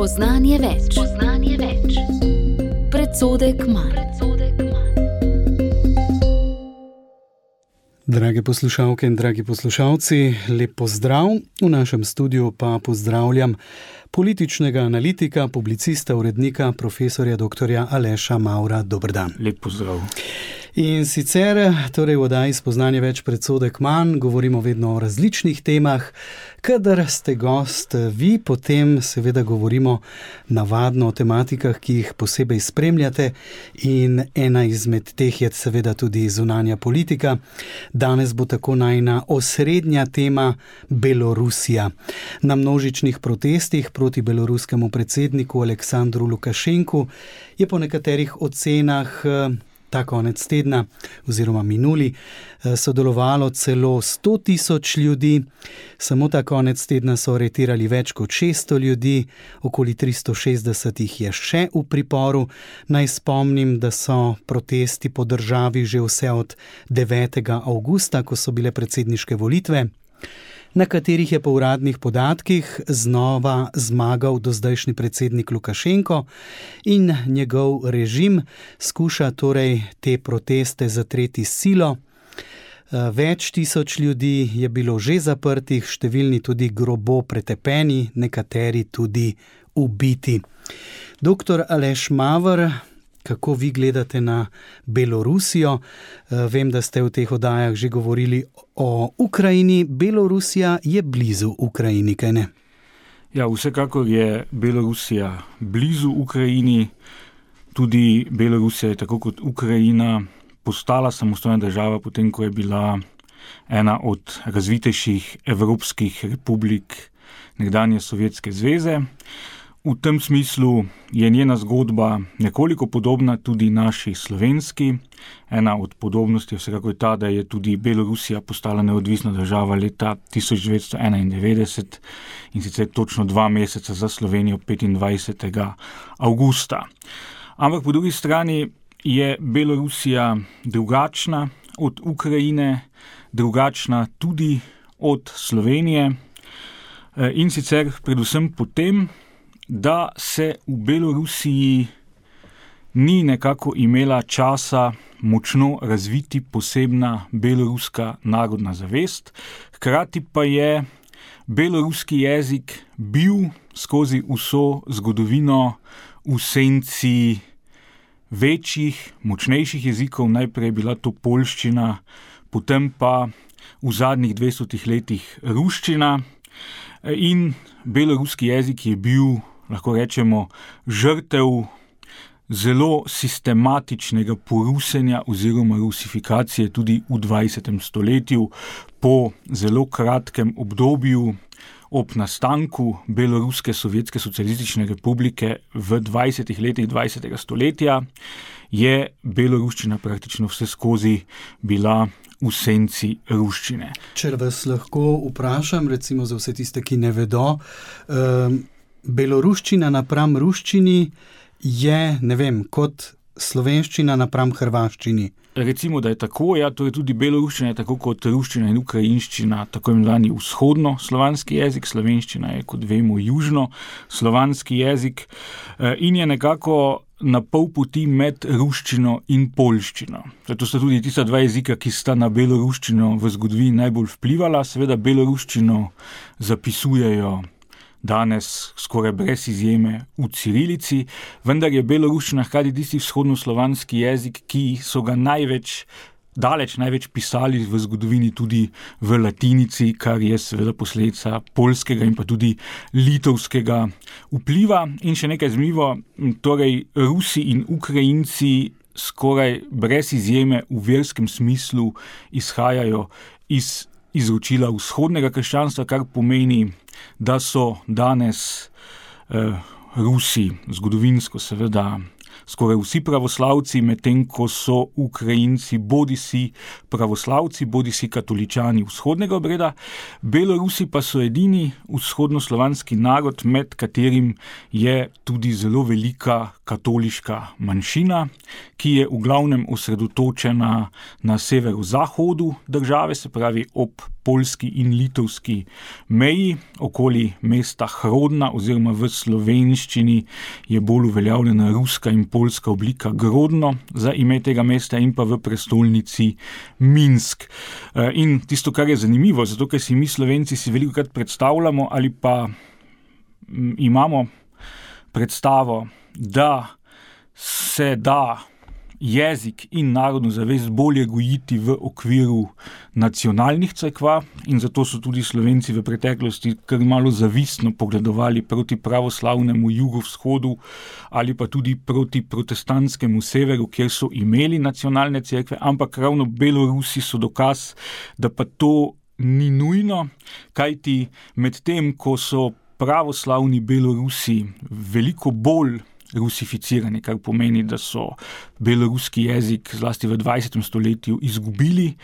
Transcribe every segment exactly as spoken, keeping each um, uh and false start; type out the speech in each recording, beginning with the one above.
Spoznanje več. Spoznanje več. Predsodek manj. Drage poslušalke in dragi poslušalci, lep pozdrav. V našem studiu pa pozdravljam političnega analitika, publicista, urednika, profesorja doktorja Aleša Mavra. Dober dan. Lep pozdrav. In sicer, torej v oddaji Spoznanje več, predsodek manj, govorimo vedno o različnih temah. Kadar ste gost vi, potem seveda govorimo navadno o tematikah, ki jih posebej spremljate, in ena izmed teh je seveda tudi zunanja politika. Danes bo tako najina osrednja tema Belorusija. Na množičnih protestih proti beloruskemu predsedniku Aleksandru Lukašenku je po nekaterih ocenah ta konec tedna oziroma minuli sodelovalo celo sto tisoč ljudi. Samo ta konec tedna so aretirali več kot šeststo ljudi, okoli tristo šestdeset jih je še v priporu. Naj spomnim, da so protesti po državi že vse od devetega avgusta, ko so bile predsedniške volitve, na katerih je po uradnih podatkih znova zmagal dozdajšnji predsednik Lukašenko, in njegov režim skuša torej te proteste zatreti s silo. Več tisoč ljudi je bilo že zaprtih, številni tudi grobo pretepeni, nekateri tudi ubiti. Doktor Aleš Maver, kako vi gledate na Belorusijo? Vem, da ste v teh oddajah že govorili o Ukrajini. Belorusija je blizu Ukrajini, kaj ne? Ja, vsekakor je Belorusija blizu Ukrajini. Tudi Belorusija je tako kot Ukrajina postala samostojna država, potem ko je bila ena od razvitejših evropskih republik nekdanje Sovjetske zveze. V tem smislu je njena zgodba nekoliko podobna tudi naši slovenski. Ena od podobnosti je vsekakor ta, da je tudi Belorusija postala neodvisna država leta tisoč devetsto enaindevetdeset, in sicer točno dva meseca za Slovenijo, petindvajsetega avgusta. Ampak po drugi strani je Belorusija drugačna od Ukrajine, drugačna tudi od Slovenije, in sicer predvsem potem, da se v Belorusiji ni nekako imela časa močno razviti posebna beloruska narodna zavest, hkrati pa je beloruski jezik bil skozi vso zgodovino v senci večjih, močnejših jezikov. Najprej je bila to poljščina, potem pa v zadnjih dvestotih letih ruščina, in beloruski jezik je bil, lahko rečemo, žrtev zelo sistematičnega porusenja oziroma rusifikacije tudi v dvajsetem stoletju. Po zelo kratkem obdobju ob nastanku Beloruske sovjetske socialistične republike v dvajsetih letih dvajsetega stoletja je beloruščina praktično vse skozi bila v senci ruščine. Če vas lahko vprašam, recimo za vse tiste, ki ne vedo, um, beloruščina napram ruščini je, ne vem, kot slovenščina napram hrvaščini. Recimo, da je tako, ja, to je tudi beloruščina je tako kot ruščina in ukrajinščina, tako imenovani vzhodno slovanski jezik, slovenščina je, kot vemo, južno slovanski jezik, in je nekako na pol poti med ruščino in poljščino. To sta tudi tista dva jezika, ki sta na beloruščino v zgodovini najbolj vplivala. Seveda beloruščino zapisujejo danes skoraj brez izjeme v cirilici, vendar je beloruščina hkrati tisti vzhodnoslovanski jezik, ki so ga največ, daleč največ pisali v zgodovini tudi v latinici, kar je seveda posledica poljskega in pa tudi litovskega vpliva. In še nekaj zanimivo, torej Rusi in Ukrajinci skoraj brez izjeme v verskem smislu izhajajo iz izročila vzhodnega krščanstva, kar pomeni, da so danes eh, Rusi zgodovinsko seveda skoraj vsi pravoslavci, medtem ko so Ukrajinci bodisi pravoslavci, bodisi katoličani vzhodnega obreda. Belorusi pa so edini vzhodnoslovanski narod, med katerim je tudi zelo velika katoliška manjšina, ki je v glavnem osredotočena na severozahodu države, se pravi ob poljski in litovski meji, okoli mesta Hrodna, oziroma v slovenščini je bolj uveljavljena ruska in poljska oblika Grodno za ime tega mesta, in pa v prestolnici Minsk. In tisto, kar je zanimivo, zato ker si mi Slovenci si velikokrat predstavljamo ali pa imamo predstavo, da se da jezik in narodno zavest bolje gojiti v okviru nacionalnih cerkva, in zato so tudi Slovenci v preteklosti kar malo zavistno pogledovali proti pravoslavnemu jugovzhodu ali pa tudi proti protestantskemu severu, kjer so imeli nacionalne cerkve, ampak ravno Belorusi so dokaz, da pa to ni nujno, kajti med tem, ko so pravoslavni Belorusi veliko bolj rusificirani, kar pomeni, da so beloruski jezik zlasti v dvajsetem stoletju izgubili,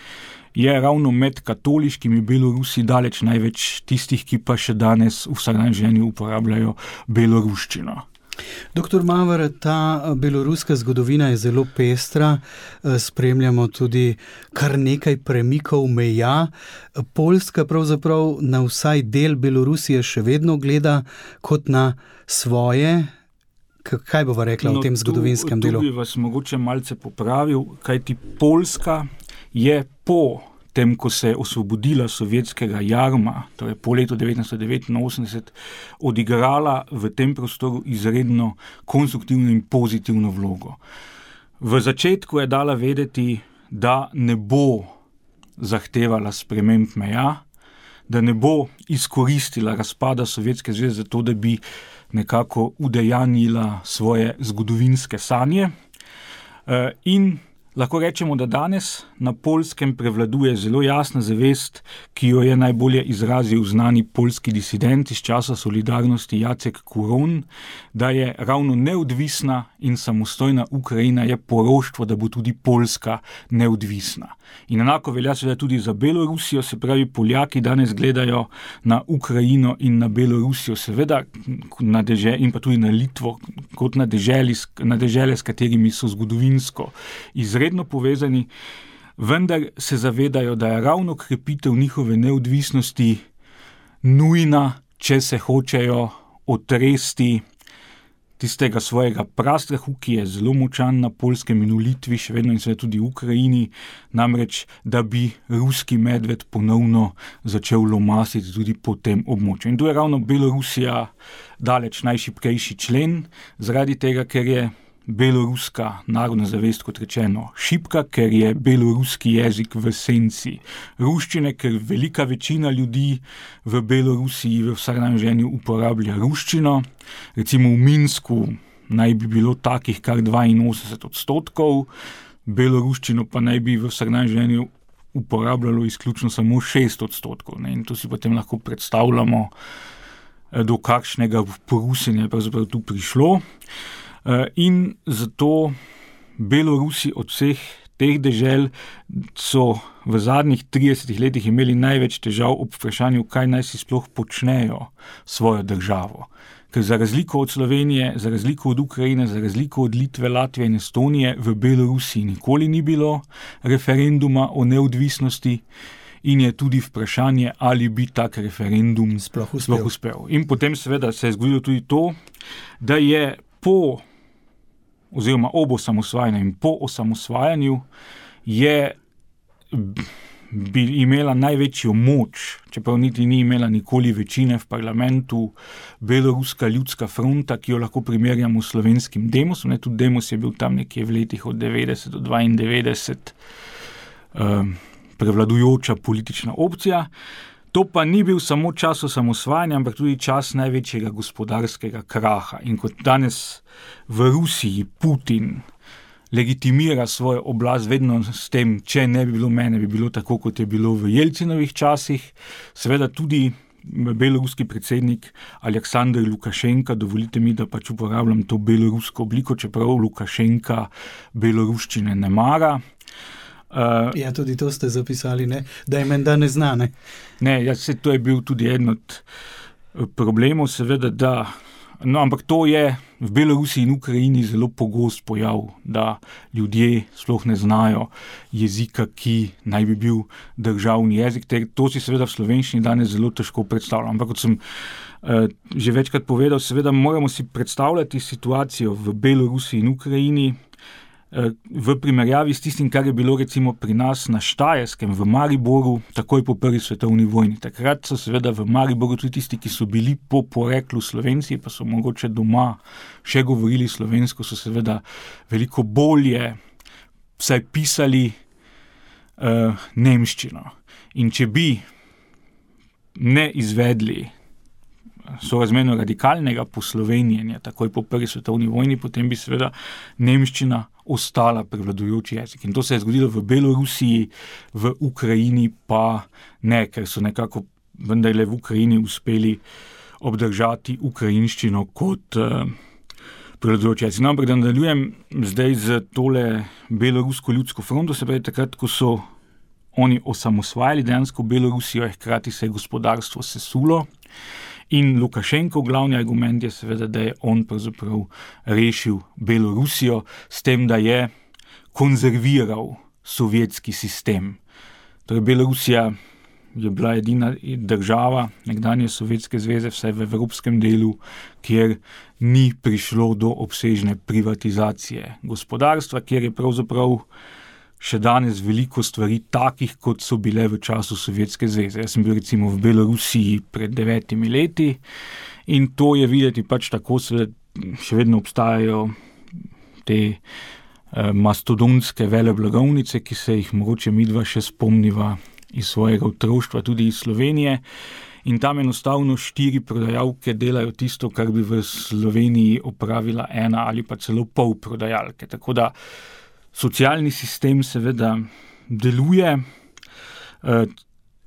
je ravno med katoliškimi Belorusi daleč največ tistih, ki pa še danes v vsakdanjem življenju uporabljajo beloruščino. Doktor Maver, ta beloruska zgodovina je zelo pestra, spremljamo tudi kar nekaj premikov meja. Poljska pravzaprav na vsaj del Belorusije še vedno gleda kot na svoje. Kaj bova rekla no, o tem zgodovinskem tu, delu? Tu bi vas mogoče malce popravil, kajti Poljska je po tem, ko se je osvobodila sovjetskega jarma, torej po letu devetnajststo devetinosemdeset, odigrala v tem prostoru izredno konstruktivno in pozitivno vlogo. V začetku je dala vedeti, da ne bo zahtevala sprememb meja, da ne bo izkoristila razpada Sovjetske zveze za to, da bi nekako udejanjila svoje zgodovinske sanje. In lahko rečemo, da danes na Poljskem prevladuje zelo jasna zavest, ki jo je najbolje izrazil znani poljski disident iz časa solidarnosti Jacek Kuron, da je ravno neodvisna in samostojna Ukrajina je poroštvo, da bo tudi Poljska neodvisna. In enako velja seveda tudi za Belorusijo, se pravi, Poljaki danes gledajo na Ukrajino in na Belorusijo, seveda na deže, in pa tudi na Litvo, kot na deželi, na dežele, s katerimi so zgodovinsko izredno povezani, vendar se zavedajo, da je ravno krepitev njihove neodvisnosti nujna, če se hočejo otresti tistega svojega prastrahu, ki je zelo močan na Poljskem in v Litvi, še vedno in seveda tudi v Ukrajini, namreč, da bi ruski medved ponovno začel lomasiti tudi po tem območju. In tu je ravno Belorusija daleč najšibkejši člen, zaradi tega, ker je beloruska narodna zavest, kot rečeno, šibka, ker je beloruski jezik v senci ruščine, ker velika večina ljudi v Belorusiji v vsakdanjem življenju uporablja ruščino. Recimo v Minsku naj bi bilo takih kar dvainosemdeset odstotkov, beloruščino pa naj bi v vsakdanjem življenju uporabljalo izključno samo šest odstotkov. Ne? In to si potem lahko predstavljamo, do kakšnega porusenja je pravzaprav tu prišlo. In zato Belorusi od vseh teh dežel so v zadnjih tridesetih letih imeli največ težav ob vprašanju, kaj naj si sploh počnejo svojo državo. Ker za razliko od Slovenije, za razliko od Ukrajine, za razliko od Litve, Latvije in Estonije v Belorusiji nikoli ni bilo referenduma o neodvisnosti in je tudi vprašanje, ali bi tak referendum sploh uspel. Sploh uspel. In potem seveda se je zgodilo tudi to, da je po oziroma ob osamosvajanju in po osamosvajanju je bi imela največjo moč, čeprav niti ni imela nikoli večine v parlamentu, Beloruska ljudska fronta, ki jo lahko primerjamo s slovenskim Demosom. Ne, tudi Demos je bil tam nekje v letih od devetdeset do dvaindevetdeset um, prevladujoča politična opcija. To pa ni bil samo čas osamosvajanja, ampak tudi čas največjega gospodarskega kraha. In kot danes v Rusiji Putin legitimira svojo oblast vedno s tem, če ne bi bilo mene, bi bilo tako, kot je bilo v Jelcinovih časih, seveda tudi beloruski predsednik Aleksandr Lukašenka, dovolite mi, da pač uporabljam to belorusko obliko, čeprav Lukašenka beloruščine ne mara. Uh, ja, tudi to ste zapisali, ne? Da je menda ne zna, ne? Ne, ja, se, to je bil tudi eden od problemov, seveda, da No, ampak to je v Belorusiji in Ukrajini zelo pogost pojav, da ljudje sploh ne znajo jezika, ki naj bi bil državni jezik. To si seveda v slovenščini danes zelo težko predstavljam. Ampak kot sem uh, že večkrat povedal, seveda moramo si predstavljati situacijo v Belorusiji in Ukrajini v primerjavi s tistim, kar je bilo recimo pri nas na Štajerskem, v Mariboru, takoj po prvi svetovni vojni. Takrat so seveda v Mariboru tudi tisti, ki so bili po poreklu Slovenci, pa so mogoče doma še govorili slovensko, so seveda veliko bolje vsaj pisali uh, nemščino. In če bi ne izvedli sorazmerno radikalnega poslovenjenja takoj po prvi svetovni vojni, potem bi seveda nemščina ostala prevladujoči jezik. In to se je zgodilo v Belorusiji, v Ukrajini pa ne, ker so nekako vendarle v Ukrajini uspeli obdržati ukrajinščino kot uh, prevladujoči jezik. No, ampak da nadaljujem zdaj z tole Belorusko ljudsko fronto, se pravi takrat, ko so oni osamosvajali dejansko Belorusijo, je hkrati se je gospodarstvo sesulo. In Lukašenkov glavni argument je seveda, da je on pravzaprav rešil Belorusijo s tem, da je konzerviral sovjetski sistem. Torej Belorusija je bila edina država nekdanje Sovjetske zveze, vsaj v evropskem delu, kjer ni prišlo do obsežne privatizacije gospodarstva, kjer je pravzaprav še danes veliko stvari takih, kot so bile v času Sovjetske zveze. Jaz sem bil recimo v Belorusiji pred devetimi leti in to je videti pač tako, seveda še vedno obstajajo te eh, mastodontske veleblagovnice, ki se jih mogoče midva še spomniva iz svojega otroštva, tudi iz Slovenije. In tam enostavno štiri prodajalke delajo tisto, kar bi v Sloveniji opravila ena ali pa celo pol prodajalke. Tako da socialni sistem seveda deluje,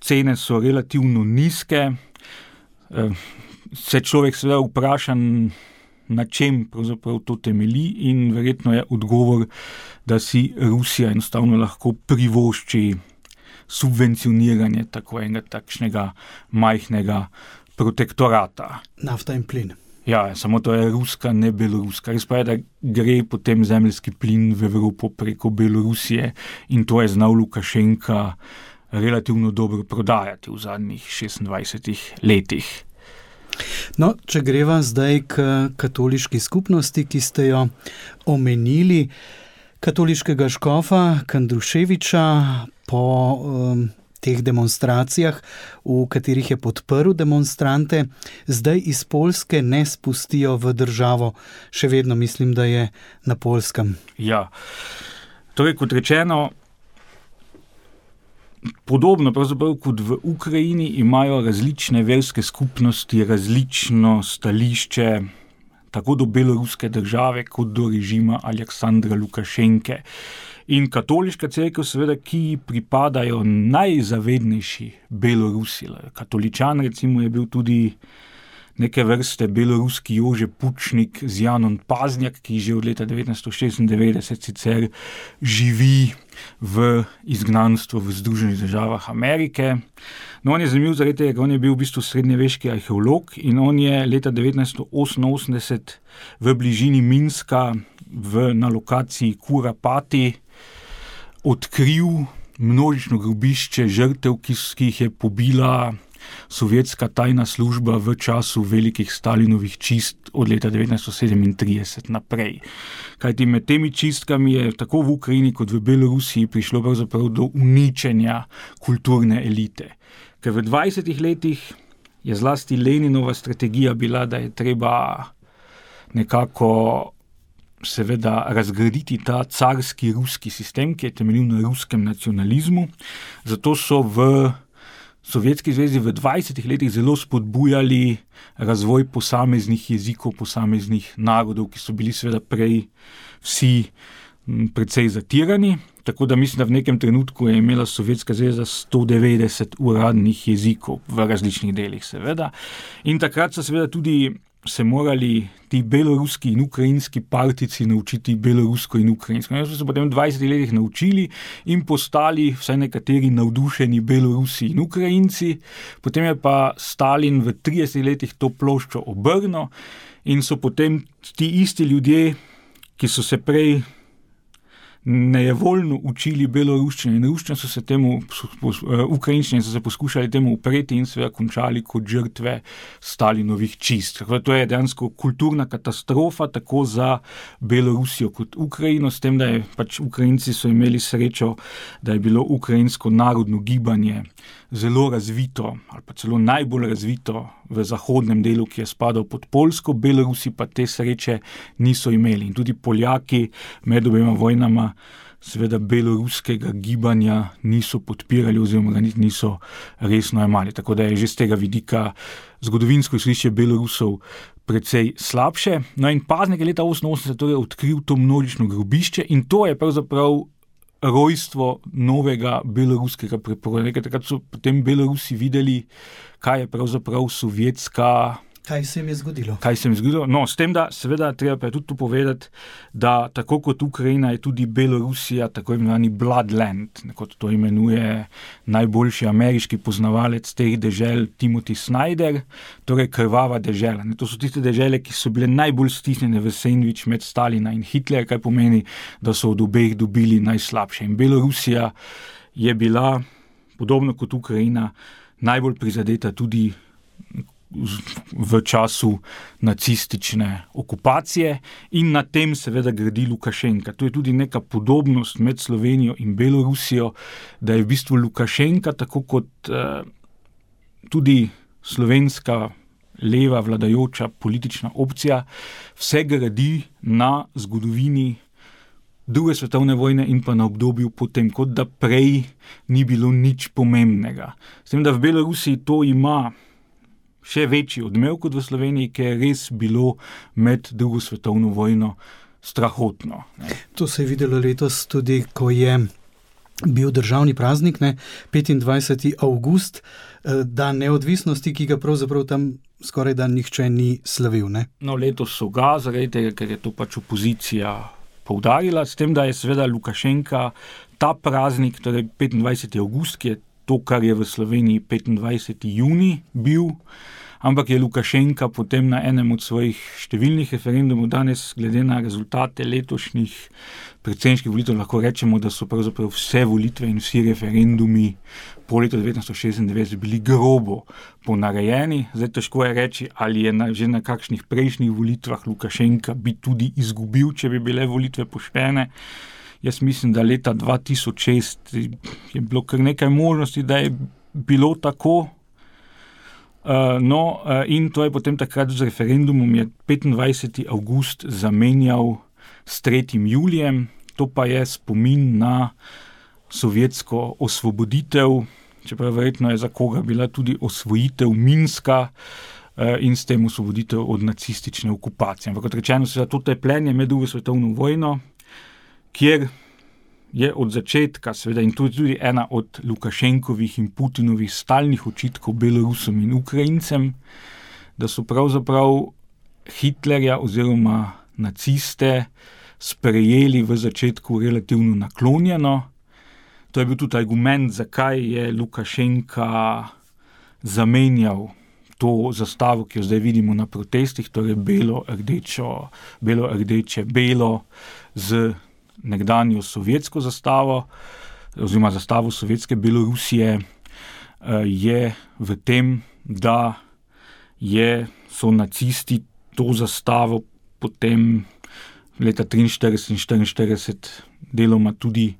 cene so relativno nizke, se človek seveda vpraša, na čem pravzaprav to temelji in verjetno je odgovor, da si Rusija enostavno lahko privošči subvencioniranje tako enega takšnega majhnega protektorata. Nafta in plin. Ja, samo to je ruska, ne beloruska. Res pa je, da gre potem zemeljski plin v Evropo preko Belorusije in to je znal Lukašenka relativno dobro prodajati v zadnjih šestindvajsetih letih. No, če greva zdaj k katoliški skupnosti, ki ste jo omenili, katoliškega škofa Kandruševiča po um, teh demonstracijah, v katerih je podprl demonstrante, zdaj iz Poljske ne spustijo v državo. Še vedno mislim, da je na Poljskem. Ja, torej kot rečeno, podobno pravzaprav kot v Ukrajini imajo različne verske skupnosti različno stališče tako do beloruske države kot do režima Aleksandra Lukašenke. In katoliška cerkev seveda, ki pripadajo najzavednejši Belorusi. Katoličan recimo je bil tudi neke vrste beloruski Jože Pučnik z Janom Paznjak, ki že od leta devetnajststo šestindevetdeset sicer živi v izgnanstvu v Združenih državah Amerike. No, on je zanimiv zaradi tega, on je bil v bistvu srednjeveški arheolog in on je leta devetnajststo oseminosemdeset v bližini Minska v, na lokaciji Kurapati odkril množično grobišče žrtev, ki, ki jih je pobila sovjetska tajna služba v času velikih Stalinovih čist od leta devetnajststo sedemintrideset naprej. Kajti med temi čistkami je tako v Ukrajini kot v Belorusiji prišlo pravzaprav do uničenja kulturne elite. Ker v dvajsetih letih je zlasti Leninova strategija bila, da je treba nekako seveda razgraditi ta carski ruski sistem, ki je temeljil na ruskem nacionalizmu. Zato so v Sovjetski zvezi v dvajsetih letih zelo spodbujali razvoj posameznih jezikov, posameznih narodov, ki so bili seveda prej vsi precej zatirani. Tako da mislim, da v nekem trenutku je imela Sovjetska zveza sto devetdeset uradnih jezikov v različnih delih seveda. In takrat so seveda tudi se morali ti beloruski in ukrajinski partici naučiti belorusko in ukrajinsko. In so se potem v dvajsetih letih naučili in postali vsaj nekateri navdušeni Belorusi in Ukrajinci. Potem je pa Stalin v tridesetih letih to ploščo obrnil in so potem ti isti ljudje, ki so se prej nejevoljno učili beloruščine in ruščine, so se temu, ukrajinščine so se poskušali temu upreti in seveda končali kot žrtve Stalinovih čistk. To je dejansko kulturna katastrofa, tako za Belorusijo kot Ukrajino, s tem, da je pač Ukrajinci so imeli srečo, da je bilo ukrajinsko narodno gibanje zelo razvito, ali pa celo najbolj razvito v zahodnem delu, ki je spadal pod Poljsko, Belorusi pa te sreče niso imeli. In tudi Poljaki med obema vojnama seveda beloruskega gibanja niso podpirali oziroma ga niso resno jemali. Tako da je že z tega vidika zgodovinsko izhodišče Belorusov precej slabše. No in Paznik je leta oseminosemdeset torej odkril to množično grobišče in to je pravzaprav rojstvo novega beloruskega prepora. Takrat so potem Belorusi videli, kaj je pravzaprav sovjetska... Kaj se jim je zgodilo? Kaj se jim je zgodilo? No, s tem, da seveda treba pa tudi tu povedati, da tako kot Ukrajina je tudi Belorusija tako imenovani Bloodland, kot to imenuje najboljši ameriški poznavalec teh dežel Timothy Snyder, torej krvava dežela. To so tiste dežele, ki so bile najbolj stisnjene v sendvič med Stalina in Hitler, kaj pomeni, da so od obeh dobili najslabše. In Belorusija je bila, podobno kot Ukrajina, najbolj prizadeta tudi v času nacistične okupacije in na tem seveda gradi Lukašenka. To je tudi neka podobnost med Slovenijo in Belorusijo, da je v bistvu Lukašenka, tako kot eh, tudi slovenska leva vladajoča politična opcija, vse gradi na zgodovini druge svetovne vojne in pa na obdobju potem, kot da prej ni bilo nič pomembnega. S tem, da v Belorusiji to ima še večji odmev kot v Sloveniji, ker je res bilo med drugo svetovno vojno strahotno. Ne. To se je videlo letos tudi, ko je bil državni praznik, ne, petindvajseti avgust, dan neodvisnosti, ki ga pravzaprav tam skoraj da nihče ni slavil. Ne. No, letos so ga, zaradi tega, ker je to pač opozicija poudarila, s tem, da je seveda Lukašenka ta praznik, torej petindvajseti avgust, ki je to, kar je v Sloveniji petindvajseti junij bil, ampak je Lukašenka potem na enem od svojih številnih referendumov danes, glede na rezultate letošnjih predsedniških volitev, lahko rečemo, da so pravzaprav vse volitve in vsi referendumi po letu devetnajststo šestindevetdeset bili grobo ponarejeni. Zdaj težko je reči, ali je na, že na kakšnih prejšnjih volitvah Lukašenka bi tudi izgubil, če bi bile volitve poštene. Jaz mislim, da leta dva tisoč šest je bilo kar nekaj možnosti, da je bilo tako. Uh, no, uh, in to je potem takrat z referendumom je petindvajseti avgust zamenjal s tretjim julijem. To pa je spomin na sovjetsko osvoboditev, čeprav verjetno je za koga bila tudi osvojitev Minska uh, in s tem osvoboditev od nacistične okupacije. Ampak kot rečeno, se za to tepljenje med drugo svetovno vojno, kjer je od začetka, seveda, in to je tudi ena od Lukašenkovih in Putinovih stalnih očitkov Belorusom in Ukrajincem, da so pravzaprav Hitlerja oziroma naciste sprejeli v začetku relativno naklonjeno. To je bil tudi argument, zakaj je Lukašenka zamenjal to zastavo, ki jo zdaj vidimo na protestih, torej belo, rdečo, belo, rdeče, belo z nekdanjo sovjetsko zastavo oziroma zastavo sovjetske Belorusije, je v tem, da je, so nacisti to zastavo potem leta triinštirideset in štiriinštirideset deloma tudi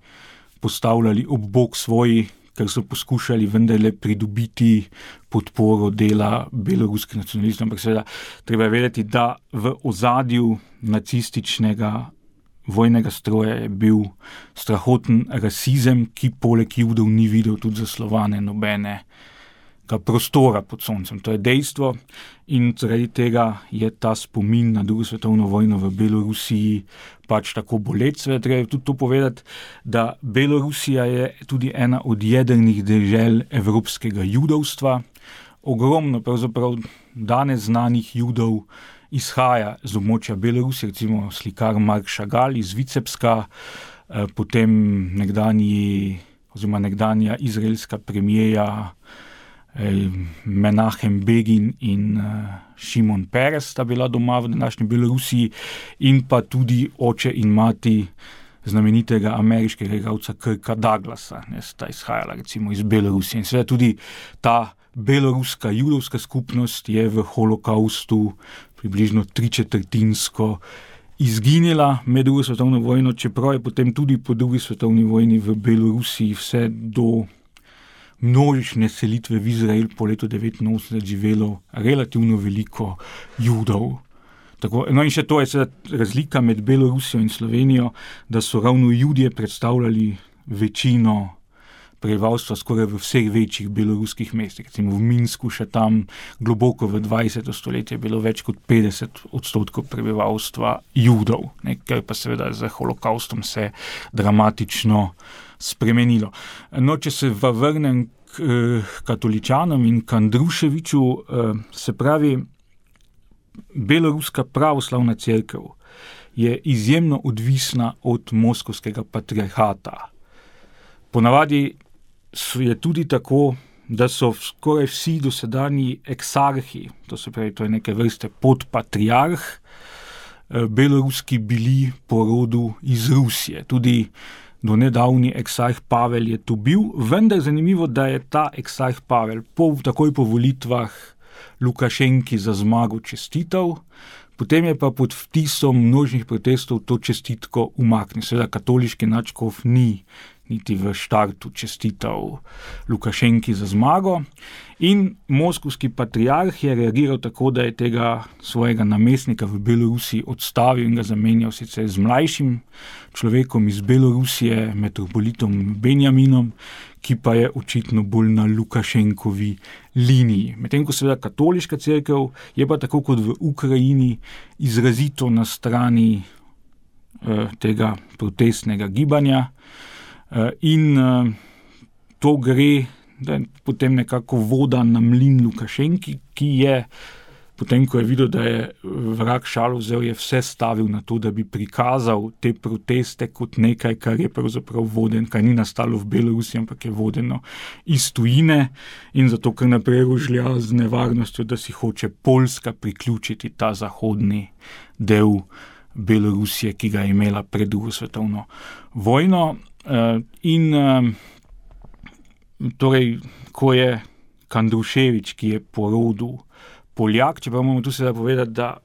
postavljali ob bok svoji, ker so poskušali vendarle pridobiti podporo dela beloruskih nacionalistov. Ampak seveda treba vedeti, da v ozadju nacističnega vojnega stroja je bil strahoten rasizem, ki poleg Judov ni videl tudi zaslovane nobenega prostora pod soncem. To je dejstvo in zaradi tega je ta spomin na drugo svetovno vojno v Belorusiji pač tako boleč. Seveda treba tudi to povedati, da Belorusija je tudi ena od jedrnih dežel evropskega judovstva. ogromno pravzaprav danes znanih Judov izhaja z območja Belorusije, recimo slikar Mark Chagall iz Vicepska, potem nekdanji, oziroma nekdanja izraelska premijeja Menachem Begin in Šimon Peres sta bila doma v današnji Belorusiji, in pa tudi oče in mati znamenitega ameriškega igralca Kirka Douglasa, ne, sta izhajala recimo iz Belorusije. In seveda tudi ta beloruska judovska skupnost je v holokaustu približno tričetrtinsko izginila med drugo svetovno vojno, čeprav je potem tudi po drugi svetovni vojni v Belorusiji vse do množične selitve v Izrael po letu devetinosemdeset živelo relativno veliko Judov. Tako, no in še to je seveda razlika med Belorusijo in Slovenijo, da so ravno Judje predstavljali večino prebivalstva skoraj v vseh večjih beloruskih mestih. Recimo v Minsku še tam globoko v dvajseto stoletje je bilo več kot petdeset odstotkov prebivalstva Judov, ne, kar pa seveda z holokaustom se dramatično spremenilo. No, če se vrnem k eh, katoličanom in k Andruševiču, eh, se pravi, Beloruska pravoslavna cerkev je izjemno odvisna od moskovskega patriarhata. Ponavadi je tudi tako, da so skoraj vsi dosedanji eksarhi, to se pravi, to je neke vrste podpatriarh, beloruski bili po rodu iz Rusije. Tudi do nedavni eksarh Pavel je tu bil, vendar zanimivo, da je ta eksarh Pavel po, takoj po volitvah Lukašenki za zmago čestital, potem je pa pod vtisom množnih protestov to čestitko umaknil. Seveda katoliški nadškof ni niti v štartu čestital Lukašenki za zmago in moskovski patriarh je reagiral tako, da je tega svojega namestnika v Belorusiji odstavil in ga zamenjal sicer z mlajšim človekom iz Belorusije, metropolitom Benjaminom, ki pa je očitno bolj na Lukašenkovi liniji. Medtem ko seveda katoliška cerkev je pa tako kot v Ukrajini izrazito na strani eh, tega protestnega gibanja eh, in eh, to gre, da je potem nekako voda na mlin Lukašenki, ki je potem, ko je videl, da je vrag šalo vzel, je vse stavil na to, da bi prikazal te proteste kot nekaj, kar je pravzaprav voden, kar ni nastalo v Belorusiji, ampak je vodeno iz tujine in zato kar naprej rožlja z nevarnostjo, da si hoče Poljska priključiti ta zahodni del Belorusije, ki ga je imela pred drugo svetovno vojno. In torej, ko je Kandruševič, ki je po rodu Poljak, čeprav moramo tu seveda povedati, da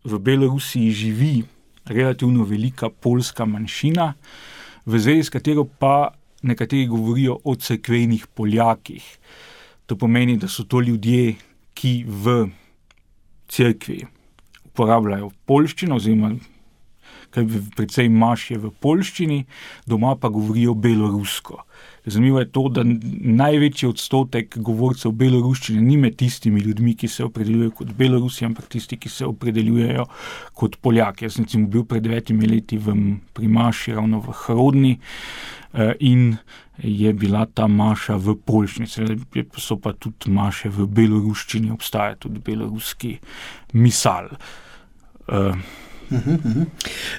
v Belorusiji živi relativno velika poljska manjšina, v zvezi s katero pa nekateri govorijo o cerkvenih Poljakih. To pomeni, da so to ljudje, ki v cerkvi uporabljajo poljščino, oziroma kaj precej maš je v poljščini, doma pa govorijo belorusko. Zanimivo je to, da največji odstotek govorcev beloruščine ni med tistimi ljudmi, ki se opredeljujejo kot Belorusi, ampak tisti, ki se opredeljujejo kot Poljaki. Jaz sem recimo bil pred devetimi leti v, pri maši ravno v Hrodni in je bila ta maša v poljščini. So pa tudi maše v beloruščini, obstaja tudi beloruski misal. Uh, Uhum, uhum.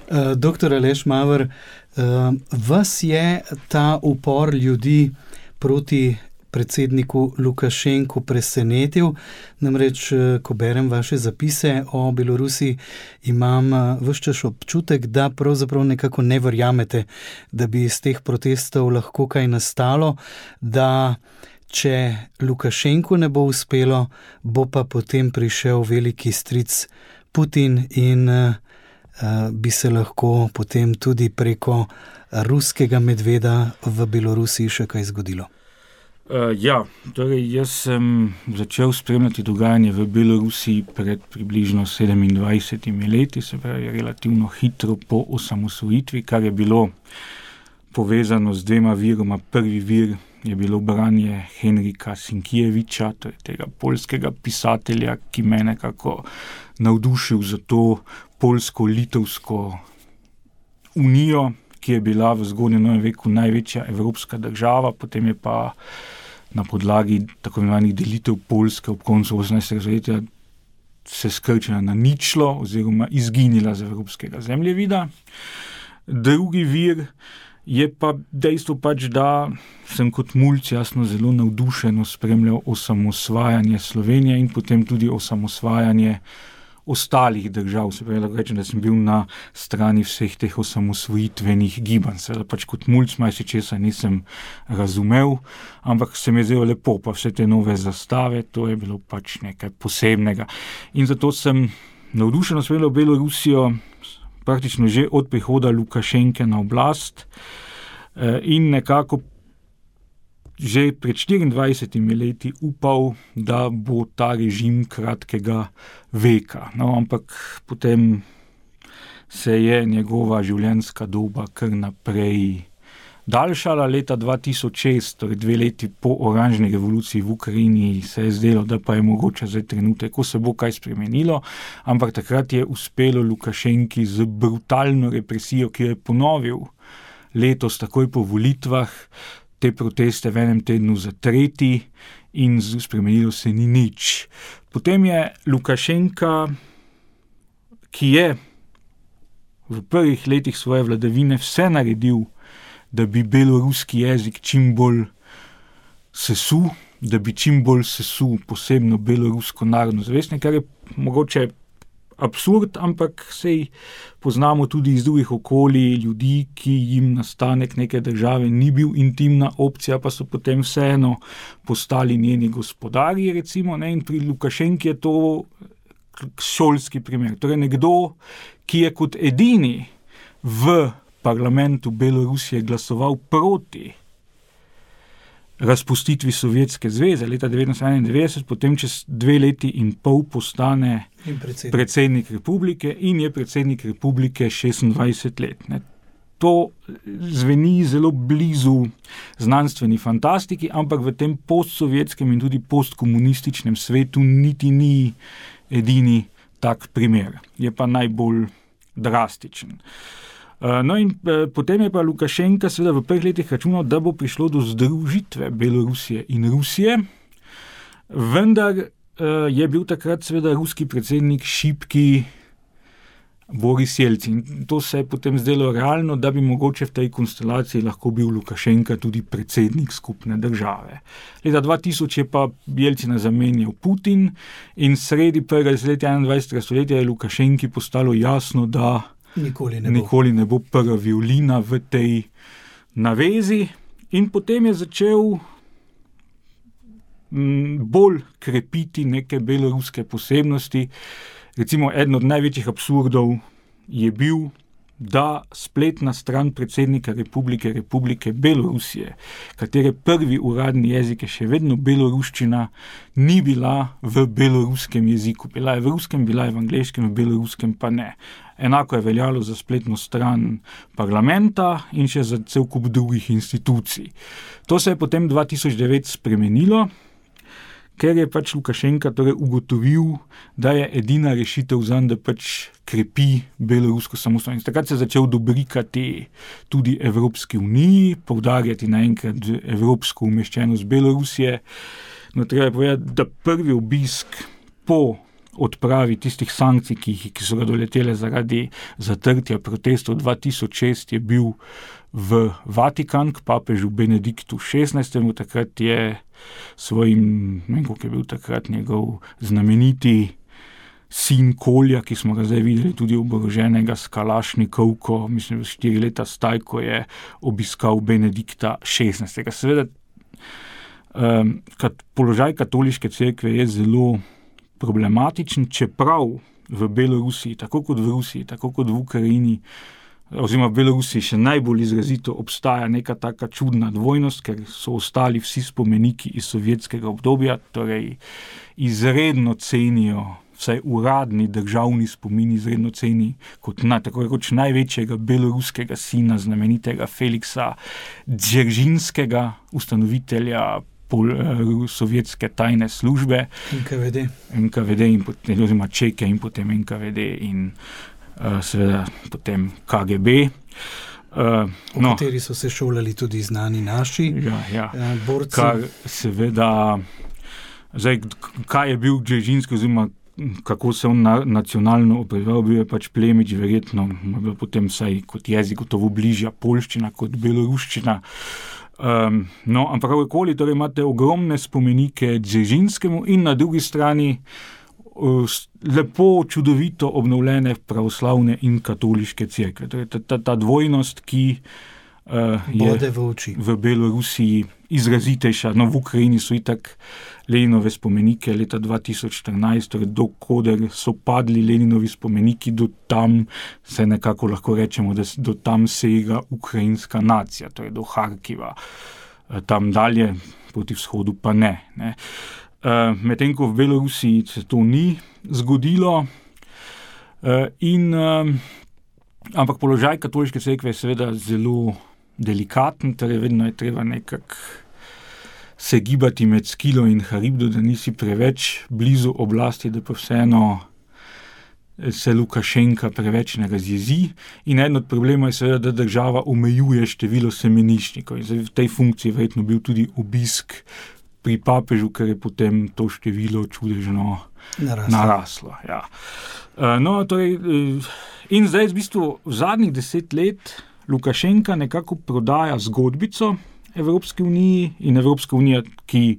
Uh, doktor Aleš Maver, uh, vas je ta upor ljudi proti predsedniku Lukašenku presenetil? Namreč, ko berem vaše zapise o Belorusiji, imam ves čas občutek, da pravzaprav nekako ne verjamete, da bi iz teh protestov lahko kaj nastalo, da če Lukašenku ne bo uspelo, bo pa potem prišel veliki stric Putin in uh, bi se lahko potem tudi preko ruskega medveda v Belorusiji še kaj zgodilo. Uh, ja, torej jaz sem začel spremljati dogajanje v Belorusiji pred približno sedemindvajsetimi leti, se pravi relativno hitro po osamosvojitvi, kar je bilo povezano z dvema viroma. Prvi vir je bilo branje Henrika Sienkiewicza, torej tega poljskega pisatelja, ki me nekako navdušil za to poljsko-litovsko unijo, ki je bila v zgodnjem novem veku največja evropska država, potem je pa na podlagi tako imenovanih delitev Poljske ob koncu osemnajstega stoletja se skrčila na ničlo oziroma izginila z evropskega zemljevida. Drugi vir je pa dejstvo pač, da sem kot mulc jasno zelo navdušeno spremljal osamosvajanje Slovenije in potem tudi osamosvajanje ostalih držav. Se pravi, lahko rečem, da sem bil na strani vseh teh osamosvojitvenih gibanj. Seveda pač kot mulc majsi česa nisem razumel, ampak se mi je zdelo lepo, pa vse te nove zastave, to je bilo pač nekaj posebnega. In zato sem navdušeno spremljal Belorusijo praktično že od prihoda Lukašenke na oblast in nekako že pred štiriindvajsetimi leti upal, da bo ta režim kratkega veka. No, ampak potem se je njegova življenjska doba kar naprej daljšala. Leta dva tisoč šest, torej dve leti po oranžni revoluciji v Ukrajini, se je zdelo, da pa je mogoče zdaj trenutek, ko se bo kaj spremenilo, ampak takrat je uspelo Lukašenki z brutalno represijo, ki jo je ponovil letos takoj po volitvah, te proteste v enem tednu zatreti in spremenilo se ni nič. Potem je Lukašenka, ki je v prvih letih svoje vladavine vse naredil, da bi beloruski jezik čim bolj sesul, da bi čim bolj sesul posebno belorusko narodno zavest, kar je mogoče absurd, ampak sej poznamo tudi iz drugih okolij ljudi, ki jim nastanek neke države ni bil intimna opcija, pa so potem vseeno postali njeni gospodarji, recimo, ne, in pri Lukašenki je to šolski primer. Torej nekdo, ki je kot edini v parlamentu Belorusije glasoval proti razpustitvi Sovjetske zveze leta devetnajststo enaindevetdeset, potem čez dve leti in pol postane predsednik. predsednik republike in je predsednik republike šestindvajset let. Ne. To zveni zelo blizu znanstveni fantastiki, ampak v tem postsovjetskem in tudi postkomunističnem svetu niti ni edini tak primer. Je pa najbolj drastičen. No in potem je pa Lukašenka seveda v prvih letih računal, da bo prišlo do združitve Belorusije in Rusije, vendar je bil takrat seveda ruski predsednik šibki Boris Jelcin. To se je potem zdelo realno, da bi mogoče v tej konstelaciji lahko bil Lukašenka tudi predsednik skupne države. Leta dva tisoč je pa Jelcina zamenjal Putin in sredi prvega desetletja enaindvajsetega stoletja je Lukašenki postalo jasno, da Nikoli ne, Nikoli ne bo prva violina v tej navezi in potem je začel m, bolj krepiti neke beloruske posebnosti. Recimo, eden od največjih absurdov je bil, da spletna stran predsednika Republike Republike Belorusije, katere prvi uradni jezik je še vedno beloruščina, ni bila v beloruskem jeziku. Bila je v ruskem, bila je v angleškem, v beloruskem pa ne. Enako je veljalo za spletno stran parlamenta in še za cel kup drugih institucij. To se je potem dva tisoč devet spremenilo, ker je pač Lukašenka torej ugotovil, da je edina rešitev zanj, da pač krepi belorusko samostojnost. Takrat se je začel dobrikati tudi Evropski uniji, poudarjati naenkrat evropsko umeščenost Belorusije. No, treba je povedati, da prvi obisk po odpravi tistih sankcij, ki, ki so ga doletele zaradi zatrtja protestov dva tisoč šest, je bil v Vatikan k papežu Benediktu šestnajstemu. Takrat je svojim, ne vem, koliko je bil takrat njegov znameniti sin Kolja, ki smo ga zdaj videli tudi oboroženega s kalašnikovko, mislim, štiri leta staj, ko je obiskal Benedikta šestnajstega. Seveda, um, kat, položaj katoliške cerkve je zelo problematičen, čeprav v Belorusiji, tako kot v Rusiji, tako kot v Ukrajini, oziroma v Belorusiji še najbolj izrazito obstaja neka taka čudna dvojnost, ker so ostali vsi spomeniki iz sovjetskega obdobja, torej izredno cenijo, vsaj uradni državni spomin izredno ceni kot na, tako rekoč največjega beloruskega sina, znamenitega Feliksa Dzeržinskega, ustanovitelja pol, sovjetske tajne službe. N K V D. N K V D in potem, oziroma Čeke in potem N K V D in uh, seveda potem K G B. Uh, v no. kateri so se šolali tudi znani naši ja, ja. borci. Kar seveda, zdaj, kaj je bil Dzeržinski, oziroma kako se on na, nacionalno opredeljeval, bil je pač plemič, verjetno, potem vsaj kot jezik gotovo bližja poljščina kot beloruščina. Um, no, ampak kakorkoli, torej imate ogromne spomenike Dzeržinskemu in na drugi strani uh, lepo, čudovito obnovljene pravoslavne in katoliške cerkve. Torej, ta, ta, ta dvojnost, ki uh, je v, v Belorusiji izrazitejša. No, v Ukrajini so itak Leninove spomenike leta dva tisoč štirinajst, torej dokoder so padli Leninovi spomeniki, do tam se nekako lahko rečemo, da do tam sega ukrajinska nacija, torej do Harkiva. Tam dalje, proti vzhodu pa ne. ne. Medtem ko v Belorusiji se to ni zgodilo, in, ampak položaj katoliške cerkve je seveda zelo delikaten, torej vedno je treba nekako se gibati med Skilo in Haribdo, da nisi preveč blizu oblasti, da pa vseeno se Lukašenka preveč ne razjezi. In eden od problemov je seveda, da država omejuje število semeniščnikov. In v tej funkciji verjetno bil tudi obisk pri papežu, ker je potem to število čudežno naraslo. naraslo ja. No, torej, in zdaj v bistvu v zadnjih deset let Lukašenka nekako prodaja zgodbico Evropske unije in Evropska unija, ki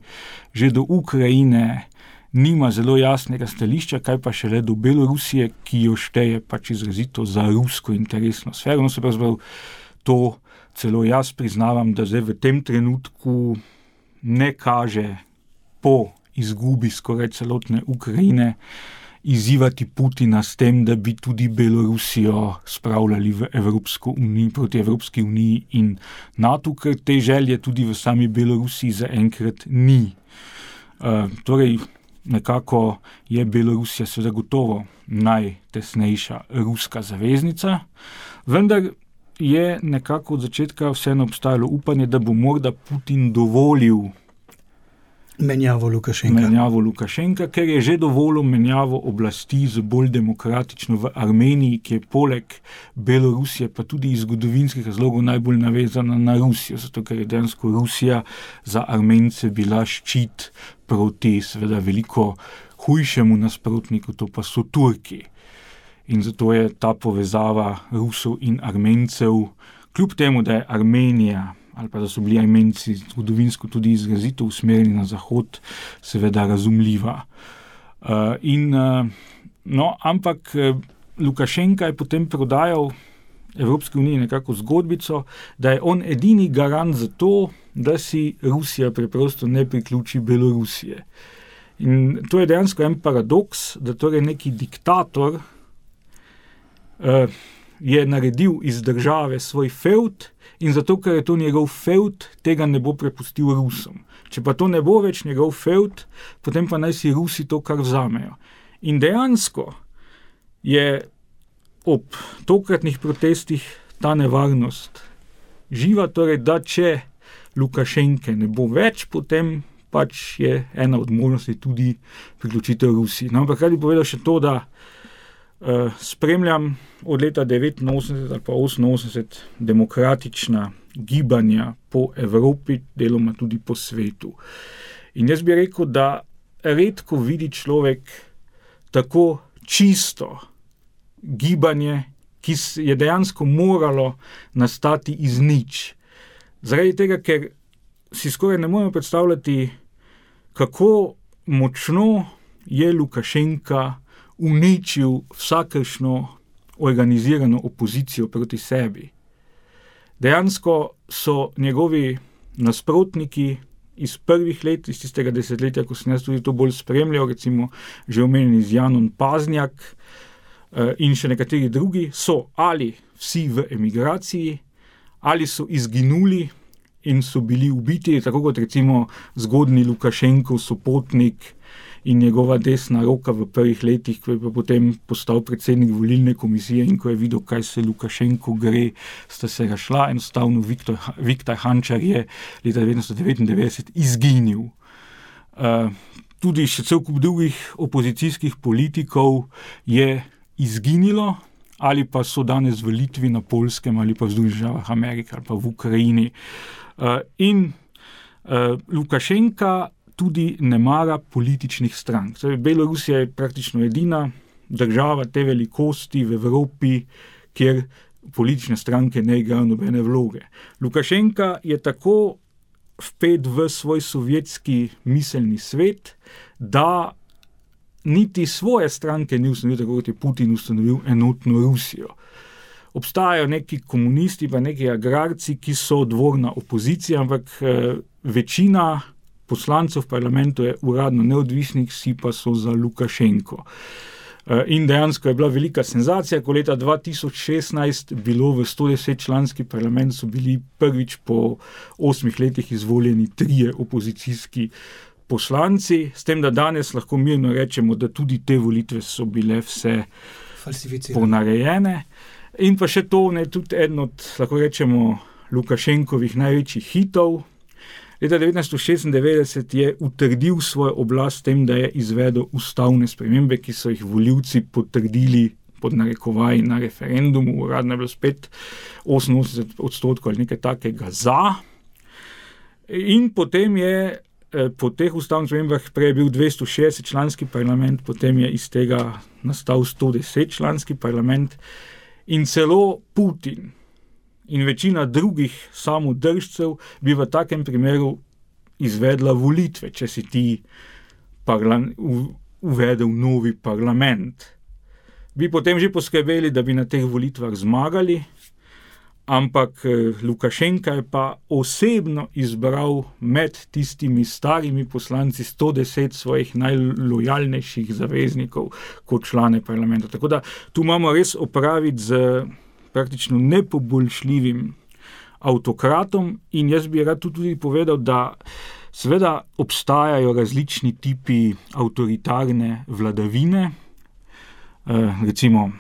že do Ukrajine nima zelo jasnega stališča, kaj pa šele do Belorusije, ki jo šteje pač izrazito za rusko interesno sfero. No, se pravzaprav to celo jaz priznavam, da zdaj v tem trenutku ne kaže po izgubi skoraj celotne Ukrajine izzivati Putina s tem, da bi tudi Belorusijo spravljali v Evropsko unijo, proti Evropski uniji in NATO, ker te želje tudi v sami Belorusiji zaenkrat ni. Uh, torej, nekako je Belorusija seveda gotovo najtesnejša ruska zaveznica, vendar je nekako od začetka vseeno obstajalo upanje, da bo morda Putin dovolil Menjavo Lukašenka. Menjavo Lukašenka, ker je že dovolil menjavo oblasti z bolj demokratično v Armeniji, ki je poleg Belorusije pa tudi iz zgodovinskih razlogov najbolj navezana na Rusijo, zato ker je dejansko Rusija za Armence bila ščit proti seveda veliko hujšemu nasprotniku, to pa so Turki. In zato je ta povezava Rusov in Armencev, kljub temu, da je Armenija ali pa da so bili Armenci zgodovinsko tudi izrazito usmerjeni na zahod, seveda razumljiva. Uh, in, uh, no, ampak Lukašenka je potem prodajal Evropske unije nekako zgodbico, da je on edini garant za to, da si Rusija preprosto ne priključi Belorusije. In to je dejansko en paradoks, da torej neki diktator uh, je naredil iz države svoj fevd, in zato, ker je to njegov fevd, tega ne bo prepustil Rusom. Če pa to ne bo več njegov fevd, potem pa naj si Rusi to kar vzamejo. In dejansko je ob tokratnih protestih ta nevarnost živa, torej, da če Lukašenke ne bo več, potem pač je ena od možnosti tudi priključitev Rusiji. No, ampak kaj bi povedal še to, da Uh, spremljam od leta devetinosemdeset ali pa oseminosemdeset demokratična gibanja po Evropi, deloma tudi po svetu. In jaz bi rekel, da redko vidi človek tako čisto gibanje, ki je dejansko moralo nastati iz nič. Zaradi tega, ker si skoraj ne moremo predstavljati, kako močno je Lukašenka uničil vsakršno organizirano opozicijo proti sebi. Dejansko so njegovi nasprotniki iz prvih let, iz tistega desetletja, ko sem jaz tudi to bolj spremljal, recimo že omenjeni z Janom Paznjak in še nekateri drugi, so ali vsi v emigraciji, ali so izginuli in so bili ubiti, tako kot recimo zgodni Lukašenkov sopotnik in njegova desna roka v prvih letih, ko je pa potem postal predsednik volilne komisije in ko je videl, kaj se Lukašenko gre, sta se razšla, enostavno Viktor, Viktor Hančar je leta devetnajststo devetindevetdeset izginil. Uh, tudi še cel kup drugih opozicijskih politikov je izginilo ali pa so danes v Litvi, na Poljskem, ali pa v Združenih državah Amerike, ali pa v Ukrajini. In Lukašenka tudi ne mara političnih strank. Belorusija je praktično edina država te velikosti v Evropi, kjer politične stranke ne igrajo nobene vloge. Lukašenka je tako vpet v svoj sovjetski miselni svet, da niti svoje stranke ni ustanovil, tako kot je Putin ustanovil enotno Rusijo. Obstajajo neki komunisti, pa neki agrarci, ki so dvorna opozicija, ampak eh, večina poslancev v parlamentu je uradno neodvisnih, vsi pa so za Lukašenko. Eh, in dejansko je bila velika senzacija, ko leta dva tisoč šestnajst bilo v sto deset članski parlament so bili prvič po osmih letih izvoljeni trije opozicijski poslanci, s tem, da danes lahko mirno rečemo, da tudi te volitve so bile vse ponarejene. In pa še to, ne, tudi eden od, lahko rečemo, Lukašenkovih največjih hitov. Leta devetnajststo šestindevetdeset je utrdil svojo oblast s tem, da je izvedel ustavne spremembe, ki so jih volivci potrdili pod narekovaji na referendumu. Uradno je bilo spet oseminosemdeset odstotkov ali nekaj takega za. In potem je po teh ustavnih spremembah prej je bil dvesto šestdeset članski parlament, potem je iz tega nastal sto deset članski parlament in celo Putin in večina drugih samodržcev bi v takem primeru izvedla volitve, če si ti parla- uvedel novi parlament. Bi potem že poskrbeli, da bi na teh volitvah zmagali, ampak Lukašenka je pa osebno izbral med tistimi starimi poslanci sto deset svojih najlojalnejših zaveznikov kot člane parlamenta. Tako da tu imamo res opraviti z praktično nepoboljšljivim avtokratom in jaz bi rad tudi povedal, da seveda obstajajo različni tipi avtoritarne vladavine, eh, recimo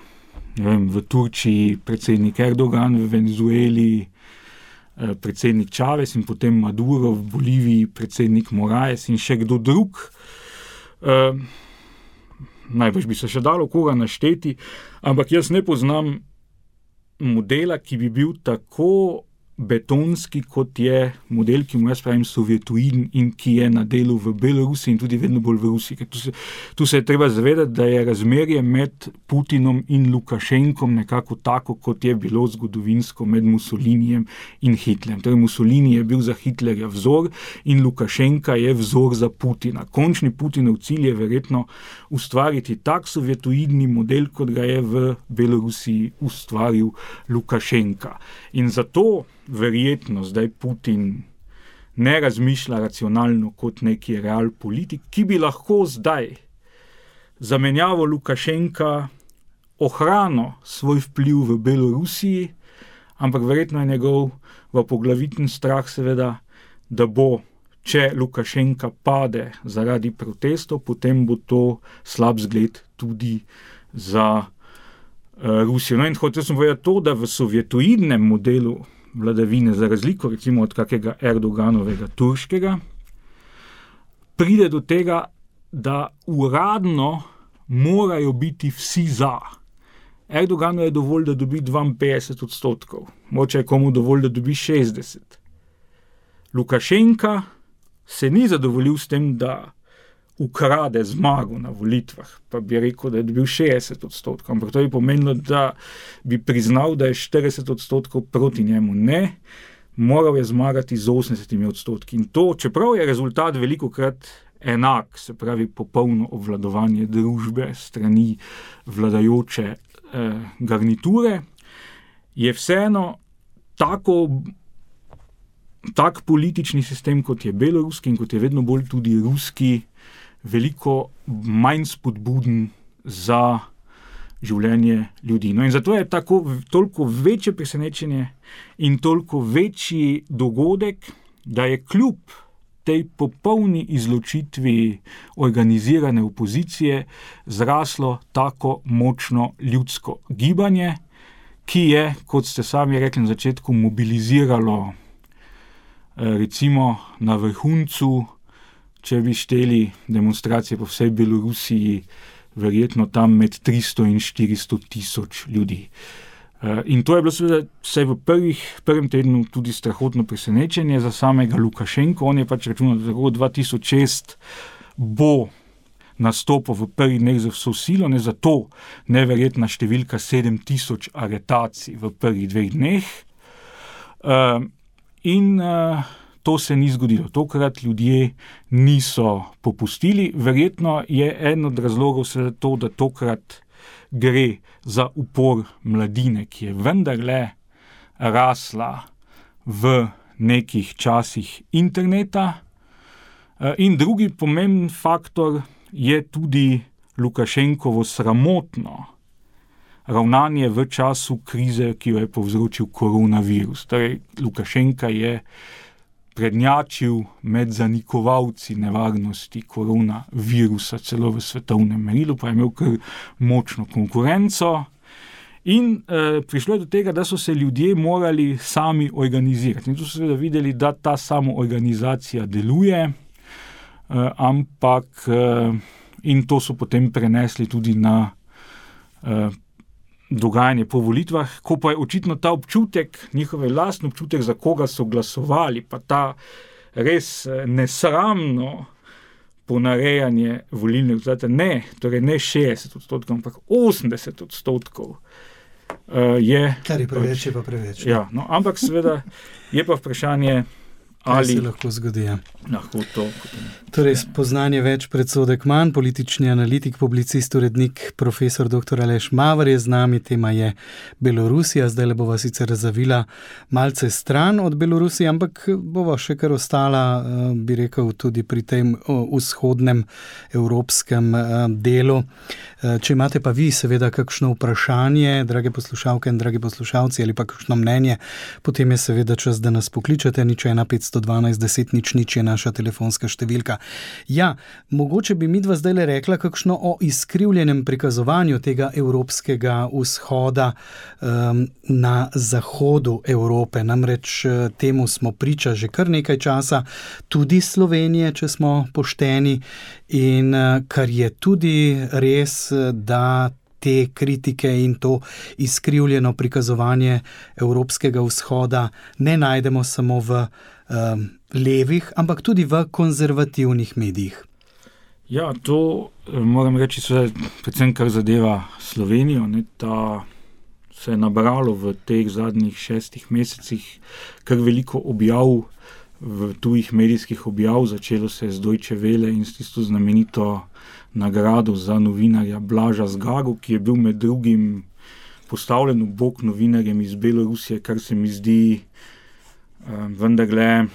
Ne vem, v Turčiji predsednik Erdogan, v Venezueli eh, predsednik Čavez in potem Maduro, v Boliviji predsednik Moraes in še kdo drug. Eh, najbrž bi se še dalo koga našteti, ampak jaz ne poznam modela, ki bi bil tako betonski, kot je model, ki mu jaz pravim sovjetoiden in ki je na delu v Belorusiji in tudi vedno bolj v Rusiji. Tu se, tu se je treba zavedati, da je razmerje med Putinom in Lukašenkom nekako tako, kot je bilo zgodovinsko med Mussolinijem in Hitlerjem. Torej Mussolini je bil za Hitlerja vzor in Lukašenka je vzor za Putina. Končni Putinov cilj je verjetno ustvariti tak sovjetoidni model, kot ga je v Belorusiji ustvaril Lukašenka. In zato verjetno zdaj Putin ne razmišlja racionalno kot neki real politik, ki bi lahko zdaj zamenjavo Lukašenka ohranil svoj vpliv v Belorusiji, ampak verjetno je njegov v poglaviten strah seveda, da bo, če Lukašenka pade zaradi protestov, potem bo to slab zgled tudi za uh, Rusijo. No in hotel sem povedati to, da v sovjetoidnem modelu vladavine, za razliko recimo od kakega Erdoganovega turškega, pride do tega, da uradno morajo biti vsi za. Erdoganu je dovolj, da dobi dvainpetdeset odstotkov, moče je komu dovolj, da dobi šestdeset. Lukašenka se ni zadovoljil s tem, da ukrade zmago na volitvah, pa bi rekel, da je dobil šestdeset odstotkov, ampak to je pomenilo, da bi priznal, da je štirideset odstotkov proti njemu. Ne, moral je zmagati z osemdesetimi odstotki. In to, čeprav je rezultat velikokrat enak, se pravi popolno obvladovanje družbe strani vladajoče eh, garniture, je vseeno tako, tak politični sistem, kot je beloruski in kot je vedno bolj tudi ruski, veliko manj spodbuden za življenje ljudi. No in zato je tako, toliko večje presenečenje in toliko večji dogodek, da je kljub tej popolni izločitvi organizirane opozicije zraslo tako močno ljudsko gibanje, ki je, kot ste sami rekli na začetku, mobiliziralo recimo na vrhuncu, če bi šteli demonstracije po vsej Belorusiji, verjetno tam med tristo in štiristo tisoč ljudi. In to je bilo seveda vse v prvih, prvem tednu tudi strahotno presenečenje za samega Lukašenko. On je pač računal, da tako dva tisoč šest bo nastopil v prvih dneh za vso silo, ne zato neverjetna številka sedem tisoč aretacij v prvih dveh dneh. Uh, in uh, to se ni zgodilo. Tokrat ljudje niso popustili. Verjetno je eden od razlogov seveda to, da tokrat gre za upor mladine, ki je vendarle rasla v nekih časih interneta. Uh, in drugi pomemben faktor je tudi Lukašenkovo sramotno ravnanje v času krize, ki jo je povzročil koronavirus. Torej, Lukašenka je prednjačil med zanikovalci nevarnosti koronavirusa celo v svetovnem merilu, pa je imel kar močno konkurenco. In eh, prišlo je do tega, da so se ljudje morali sami organizirati. In tu so seveda videli, da ta samoorganizacija deluje, Uh, ampak uh, in to so potem prenesli tudi na uh, dogajanje po volitvah, ko pa je očitno ta občutek, njihov lastni občutek, za koga so glasovali, pa ta res uh, nesramno ponarejanje volilnih rezultatov, ne, torej ne šestdeset odstotkov, ampak osemdeset odstotkov uh, je... Kar je preveč, je pa preveč. Ja, no, ampak seveda je pa vprašanje, ali se lahko zgodi. Ja. Lahko to. Torej, spoznanje več, predsodek manj, politični analitik, publicist, urednik, profesor doktor Aleš Maver je z nami, tema je Belorusija, zdaj le bova sicer zavila malce stran od Belorusije, ampak bova še kar ostala, bi rekel, tudi pri tem vzhodnem evropskem delu. Če imate pa vi seveda kakšno vprašanje, drage poslušalke in dragi poslušalci, ali pa kakšno mnenje, potem je seveda čas, da nas pokličete, nič ena petsto dvanajst deset nič nič je naša telefonska številka. Ja, mogoče bi midva zdaj le rekla kakšno o izkrivljenem prikazovanju tega evropskega vzhoda um, na zahodu Evrope. Namreč temu smo priča že kar nekaj časa, tudi Slovenije, če smo pošteni, in kar je tudi res, da te kritike in to izkrivljeno prikazovanje evropskega vzhoda ne najdemo samo v um, levih, ampak tudi v konzervativnih medijih. Ja, to moram reči, predvsem kar zadeva Slovenijo, ne, ta se je nabralo v teh zadnjih šestih mesecih kar veliko objav, v tujih medijskih objav, začelo se je z Deutsche Welle in s tisto znamenito nagrado za novinarja Blaža Zgago, ki je bil med drugim postavljen v bok novinarjem iz Belorusije, kar se mi zdi um, vendarle,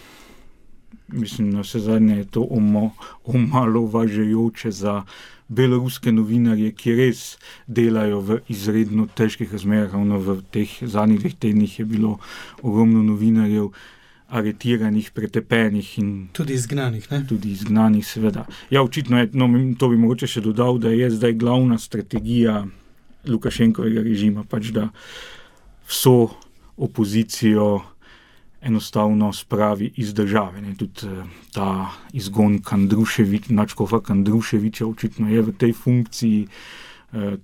mislim, na vse zadnje je to omo, omalovažajoče za beloruske novinarje, ki res delajo v izredno težkih razmerah. Ravno v teh zadnjih dveh tednih je bilo ogromno novinarjev aretiranih, pretepenih in tudi izgnanih, ne? Tudi izgnanih, seveda. Ja, očitno je, no, to bi mogoče še dodal, da je zdaj glavna strategija Lukašenkovega režima, pač da vso opozicijo enostavno spravi iz države. Ne? Tudi ta izgon Kandruševič, Načkova Kandruševiča očitno je v tej funkciji.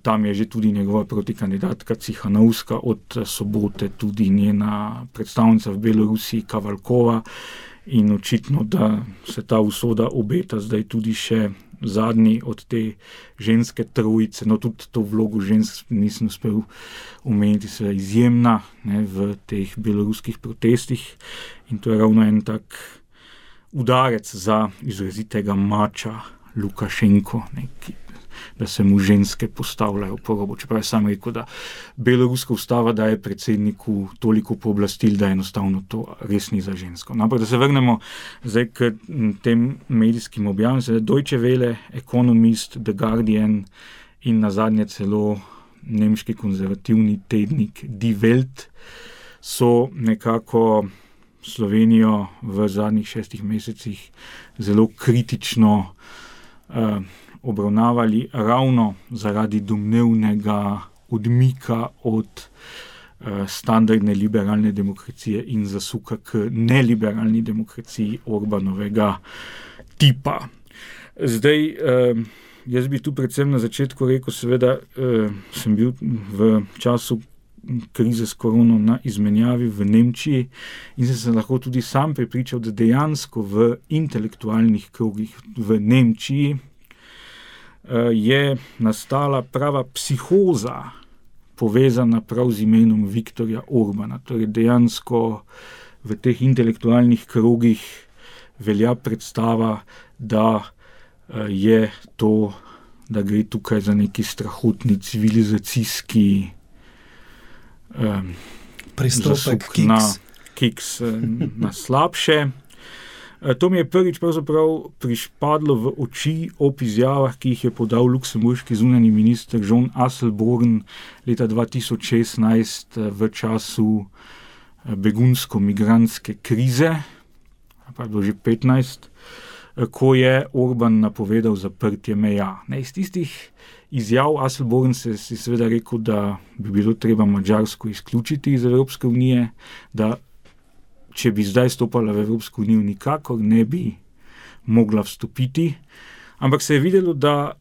Tam je že tudi njegova protikandidatka Cihanovska, od sobote tudi njena predstavnica v Belorusiji Kavalkova, in očitno, da se ta usoda obeta zdaj tudi še zadnji od te ženske trojice. No, tudi to vlogo žensk nisem uspel omeniti, se je izjemna, ne, v teh beloruskih protestih, in to je ravno en tak udarec za izrazitega mača Lukašenko, ne, ki da se mu ženske postavljajo po robu. Čeprav je sam rekel, da beloruska ustava daje predsedniku toliko pooblastil, da enostavno to res ni za žensko. No, ampak da se vrnemo zdaj k tem medijskim objavom. Deutsche Welle, Economist, The Guardian in nazadnje celo nemški konzervativni tednik Die Welt so nekako Slovenijo v zadnjih šestih mesecih zelo kritično uh, obravnavali ravno zaradi domnevnega odmika od uh, standardne liberalne demokracije in zasuka k neliberalni demokraciji Orbanovega tipa. Zdaj, uh, jaz bi tu predvsem na začetku rekel, seveda uh, sem bil v času krize s korono na izmenjavi v Nemčiji in sem se lahko tudi sam prepričal, da dejansko v intelektualnih krogih v Nemčiji uh, je nastala prava psihoza povezana prav z imenom Viktorja Orbana. Torej dejansko v teh intelektualnih krogih velja predstava, da uh, je to, da gre tukaj za neki strahotni civilizacijski Um, pristopek kiks. Na, kiks na slabše. To mi je prvič pravzaprav prišpadlo v oči ob izjavah, ki jih je podal luksemburški zunanji minister John Asselborn leta dva tisoč šestnajst v času begunsko-migrantske krize, pa je bilo že petnajst, ko je Orban napovedal zaprtje meja. Ne, iz tistih izjav Asselborn se si seveda rekel, da bi bilo treba Madžarsko izključiti iz Evropske unije, da če bi zdaj stopala v Evropsko unijo, nikakor ne bi mogla vstopiti. Ampak se je videlo, da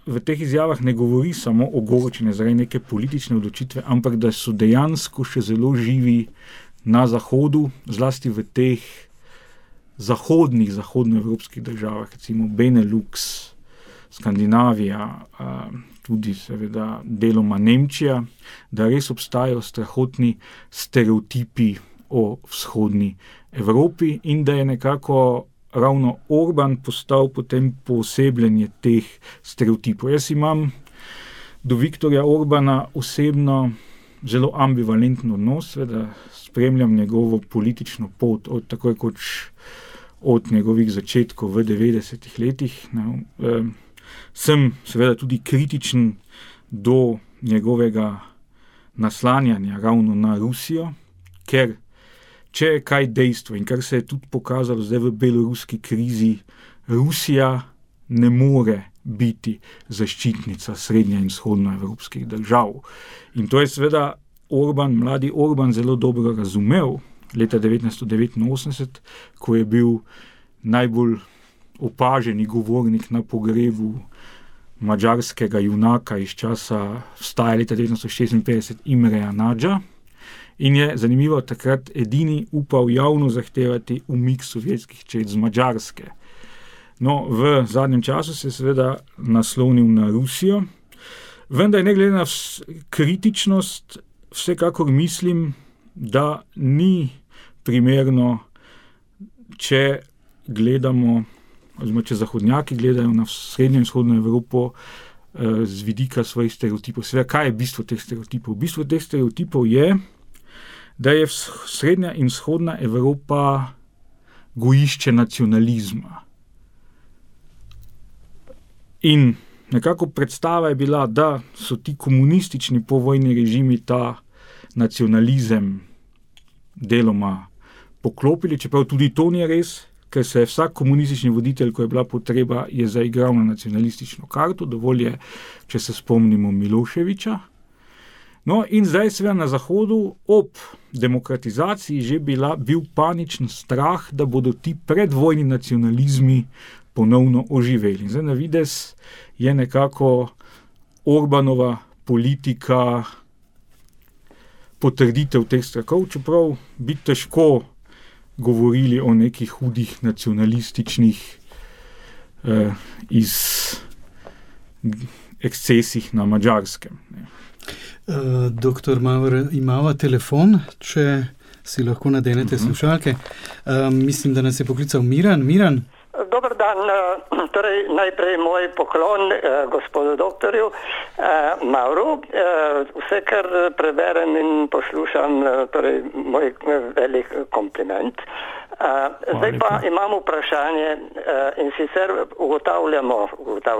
v teh izjavah ne govori samo o ogorčenju zaradi neke politične odločitve, ampak da so dejansko še zelo živi na Zahodu, zlasti v teh zahodnih, zahodnoevropskih državah, recimo Benelux, Skandinavija, tudi seveda deloma Nemčija, da res obstajajo strahotni stereotipi o vzhodni Evropi in da je nekako ravno Orban postal potem poosebljenje teh stereotipov. Jaz imam do Viktorja Orbana osebno zelo ambivalenten odnos, seveda spremljam njegovo politično pot od tako rekoč od njegovih začetkov v devetdesetih letih. Ne, eh, sem seveda tudi kritičen do njegovega naslanjanja ravno na Rusijo, ker če je kaj dejstvo in kar se je tudi pokazalo zdaj v beloruski krizi, Rusija ne more biti zaščitnica srednje in vzhodnoevropskih držav. In to je seveda Orban, mladi Orban zelo dobro razumel leta devetnajststo devetinosemdeset, ko je bil najbolj opaženi govornik na pogrebu madžarskega junaka iz časa vstaja leta devetnajststo šestinpetdeset Imreja Nadža in je zanimivo takrat edini upal javno zahtevati umik sovjetskih čet z Madžarske. No, v zadnjem času se je seveda naslonil na Rusijo, vendar ne glede na kritičnost, vsekakor mislim, da ni primerno, če gledamo, oziroma če zahodnjaki gledajo na srednjo in vzhodno Evropo eh, z vidika svojih stereotipov. Seveda, kaj je bistvo teh stereotipov? Bistvo teh stereotipov je, da je srednja in vzhodna Evropa gojišče nacionalizma. In nekako predstava je bila, da so ti komunistični povojni režimi ta nacionalizem deloma poklopili, čeprav tudi to ni res, ker se je vsak komunistični voditelj, ko je bila potreba, je zaigral na nacionalistično karto, dovolj je, če se spomnimo Miloševiča. No in zdaj seveda na Zahodu ob demokratizaciji že bila, bil paničen strah, da bodo ti predvojni nacionalizmi ponovno oživeli. Zdaj na vides je nekako Orbanova politika potrditev teh strahov, čeprav bi težko govorili o nekih hudih nacionalističnih eh, iz ekscesih na Madžarskem. Uh, doktor Maurer, imava telefon, če si lahko nadenete uh-huh. slušalke. Uh, mislim, da nas je poklical Miran. Miran? Dobar dan, torej najprej moj poklon eh, gospodu doktorju eh, Mauru. Eh, vse, kar preberem in poslušam, eh, torej moj velik kompliment. Eh, zdaj pa imam vprašanje eh, in sicer ugotavljamo,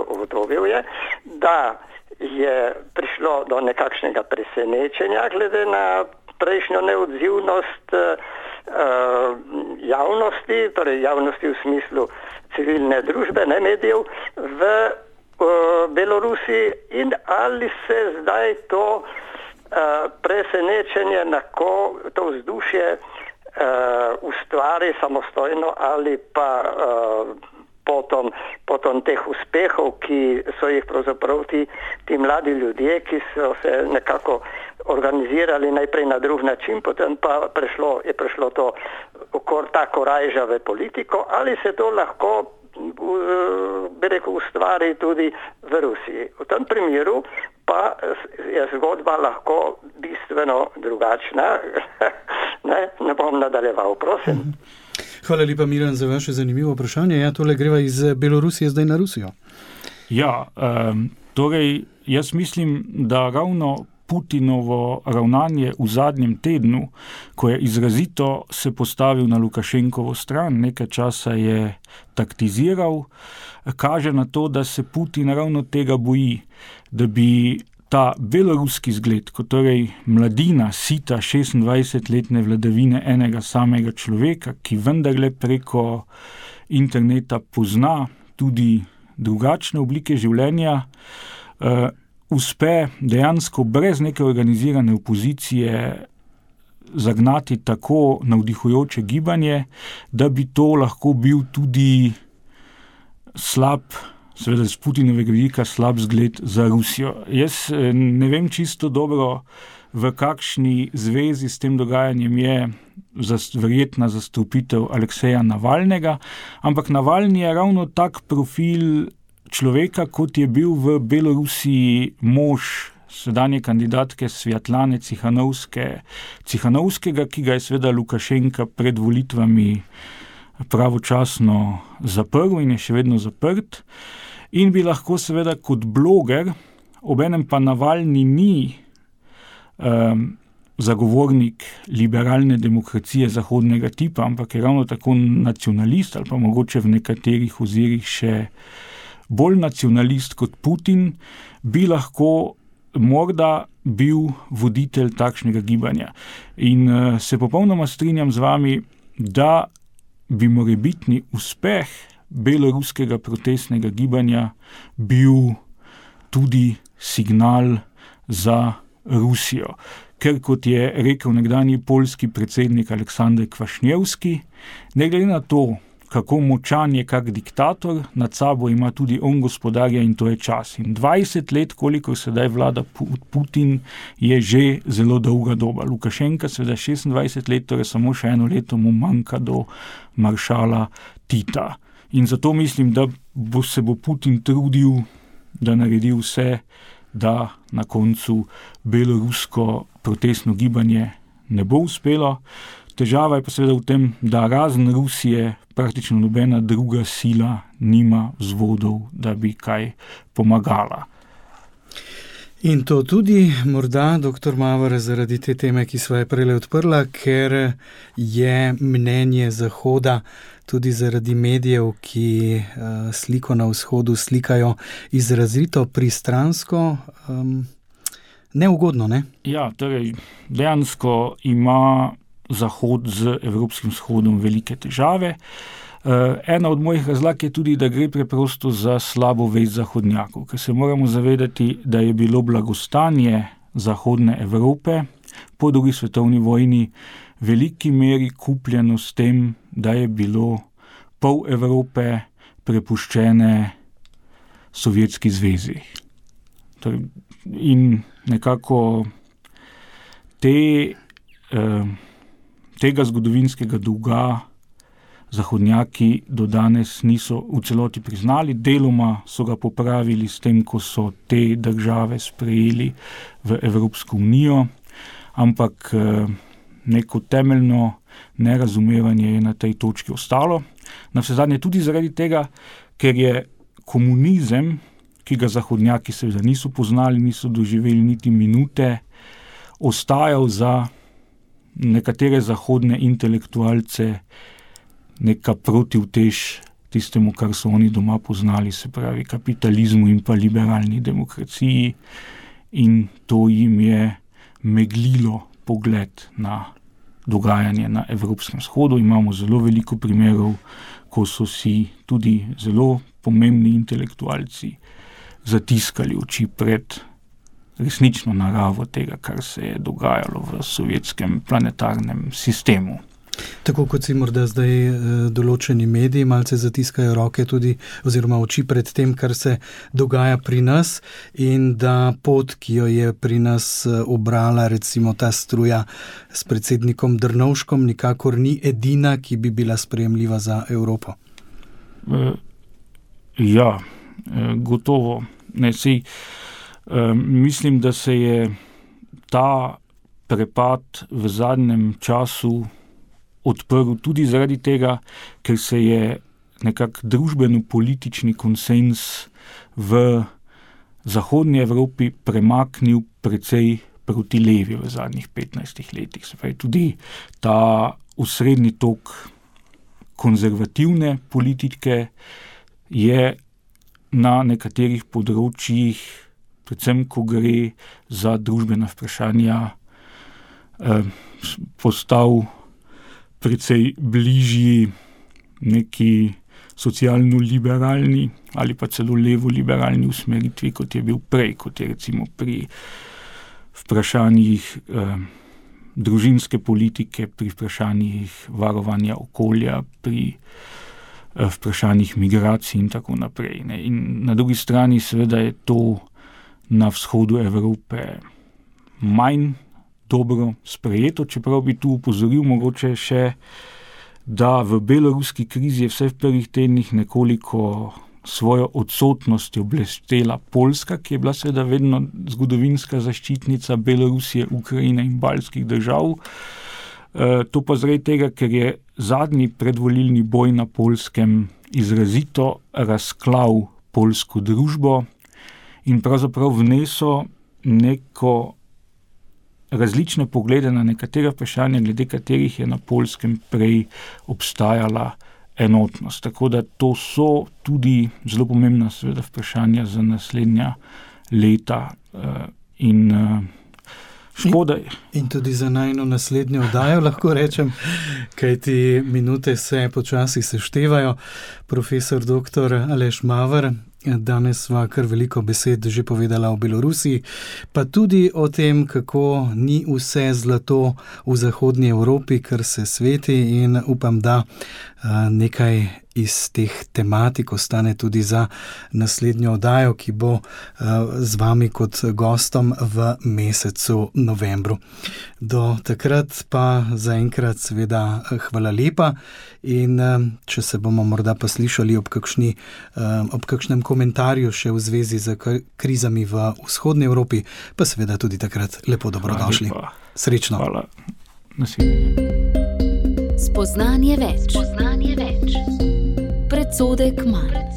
ugotovil je, da je prišlo do nekakšnega presenečenja glede na prejšnjo neodzivnost eh, javnosti, torej javnosti v smislu civilne družbe, ne medijev, v uh, Belorusiji in ali se zdaj to uh, presenečenje, ko to vzdušje uh, ustvari samostojno ali pa uh, potom, potom teh uspehov, ki so jih pravzaprav ti, ti mladi ljudje, ki so se nekako organizirali najprej na drug način, potem pa prešlo, je prešlo to okor tako rajžave politiko, ali se to lahko bi rekel, ustvari tudi v Rusiji. V tem primeru pa je zgodba lahko bistveno drugačna. ne, ne bom nadaljeval, prosim. Hvala lepa, Miran, za vaše zanimivo vprašanje. Ja, tole greva iz Belorusije zdaj na Rusijo. Ja, um, torej, jaz mislim, da ravno Putinovo ravnanje v zadnjem tednu, ko je izrazito se postavil na Lukašenkovo stran, nekaj časa je taktiziral, kaže na to, da se Putin ravno tega boji, da bi ta beloruski zgled, kot torej mladina, sita šestindvajsetletne vladavine enega samega človeka, ki vendarle preko interneta pozna tudi drugačne oblike življenja, uh, uspe dejansko brez neke organizirane opozicije zagnati tako navdihujoče gibanje, da bi to lahko bil tudi slab, seveda z Putinovega vidika slab zgled za Rusijo. Jaz ne vem čisto dobro, v kakšni zvezi s tem dogajanjem je verjetna zastopitev Alekseja Navalnega, ampak Navalni je ravno tak profil človeka, kot je bil v Belorusiji mož sedanje kandidatke Svjatlane Cichanovske, Cichanovskega, ki ga je seveda Lukašenka pred volitvami pravočasno zaprl in je še vedno zaprt. In bi lahko seveda kot bloger, obenem pa Navalni ni um, zagovornik liberalne demokracije zahodnega tipa, ampak je ravno tako nacionalist ali pa mogoče v nekaterih ozirih še bolj nacionalist kot Putin, bi lahko morda bil voditelj takšnega gibanja. In uh, se popolnoma strinjam z vami, da bi morebitni uspeh beloruskega protestnega gibanja bil tudi signal za Rusijo. Ker kot je rekel nekdanji poljski predsednik Aleksander Kvašnjevski, ne glede na to, kako močan je kak diktator, nad sabo ima tudi on gospodarja in to je čas. In dvajset let, koliko sedaj vlada Putin, je že zelo dolga doba. Lukašenka seveda šestindvajset let, torej samo še eno leto mu manjka do maršala Tita. In zato mislim, da bo se bo Putin trudil, da naredi vse, da na koncu belorusko protestno gibanje ne bo uspelo. Težava je pa seveda v tem, da razen Rusije praktično nobena druga sila nima vzvodov, da bi kaj pomagala. In to tudi morda, doktor Mavr, zaradi te teme, ki sva je prejle odprla, ker je mnenje Zahoda tudi zaradi medijev, ki uh, sliko na vzhodu slikajo izrazito pristransko, um, neugodno, ne? Ja, torej dejansko ima Zahod z Evropskim vzhodom velike težave. Ena od mojih razlag je tudi, da gre preprosto za slabo vest zahodnjakov, ker se moramo zavedati, da je bilo blagostanje Zahodne Evrope po drugi svetovni vojni v veliki meri kupljeno s tem, da je bilo pol Evrope prepuščene Sovjetski zvezi. In nekako te eh, tega zgodovinskega dolga zahodnjaki do danes niso v celoti priznali. Deloma so ga popravili s tem, ko so te države sprejeli v Evropsko unijo, ampak neko temeljno nerazumevanje je na tej točki ostalo. Navsezadnje tudi zaradi tega, ker je komunizem, ki ga zahodnjaki seveda niso poznali, niso doživeli niti minute, ostajal za nekatere zahodne intelektualce neka protivtež tistemu, kar so oni doma poznali, se pravi kapitalizmu in pa liberalni demokraciji, in to jim je meglilo pogled na dogajanje na Evropskem vzhodu. Imamo zelo veliko primerov, ko so si tudi zelo pomembni intelektualci zatiskali oči pred resnično naravo tega, kar se je dogajalo v sovjetskem planetarnem sistemu. Tako kot si morda zdaj določeni mediji malce zatiskajo roke tudi oziroma oči pred tem, kar se dogaja pri nas, in da pot, ki jo je pri nas obrala recimo ta struja s predsednikom Drnovškom, nikakor ni edina, ki bi bila sprejemljiva za Evropo. Ja, gotovo. Ne, sej, mislim, da se je ta prepad v zadnjem času odprl tudi zaradi tega, ker se je nekak družbeno-politični konsens v zahodnji Evropi premaknil precej proti levi v zadnjih petnajstih letih. Se pravi, tudi ta osrednji tok konzervativne politike je na nekaterih področjih, predvsem ko gre za družbena vprašanja, eh, postal precej bližji neki socialno-liberalni ali pa celo levo-liberalni usmeritvi, kot je bil prej, kot je recimo pri vprašanjih eh, družinske politike, pri vprašanjih varovanja okolja, pri eh, vprašanjih migracij in tako naprej. Ne. In na drugi strani seveda je to na vzhodu Evrope manj dobro sprejeto, čeprav bi tu upozoril mogoče še, da v beloruski krizi je vse v prvih tednih nekoliko svojo odsotnostjo blestela Poljska, ki je bila seveda vedno zgodovinska zaščitnica Belorusije, Ukrajine in baltskih držav. E, to pa zaradi tega, ker je zadnji predvolilni boj na Poljskem izrazito razklal poljsko družbo in pravzaprav vnesel neko različne poglede na nekatera vprašanja, glede katerih je na Poljskem prej obstajala enotnost. Tako da to so tudi zelo pomembna seveda vprašanja za naslednja leta in škoda. In, in tudi za najno naslednjo oddajo, lahko rečem, kajti minute se počasi seštevajo. Profesor doktor Aleš Maver, danes sva kar veliko besed že povedala o Belorusiji, pa tudi o tem, kako ni vse zlato v zahodnji Evropi, kar se sveti, in upam, da nekaj iz teh tematik ostane tudi za naslednjo oddajo, ki bo z vami kot gostom v mesecu novembru. Do takrat pa zaenkrat seveda hvala lepa in če se bomo morda pa slišali ob, kakšni, ob kakšnem komentarju še v zvezi z krizami v vzhodni Evropi, pa seveda tudi takrat lepo dobrodošli. Srečno. Hvala. Naslednje. Spoznanje več. Spoznanje več. Predsodek manj.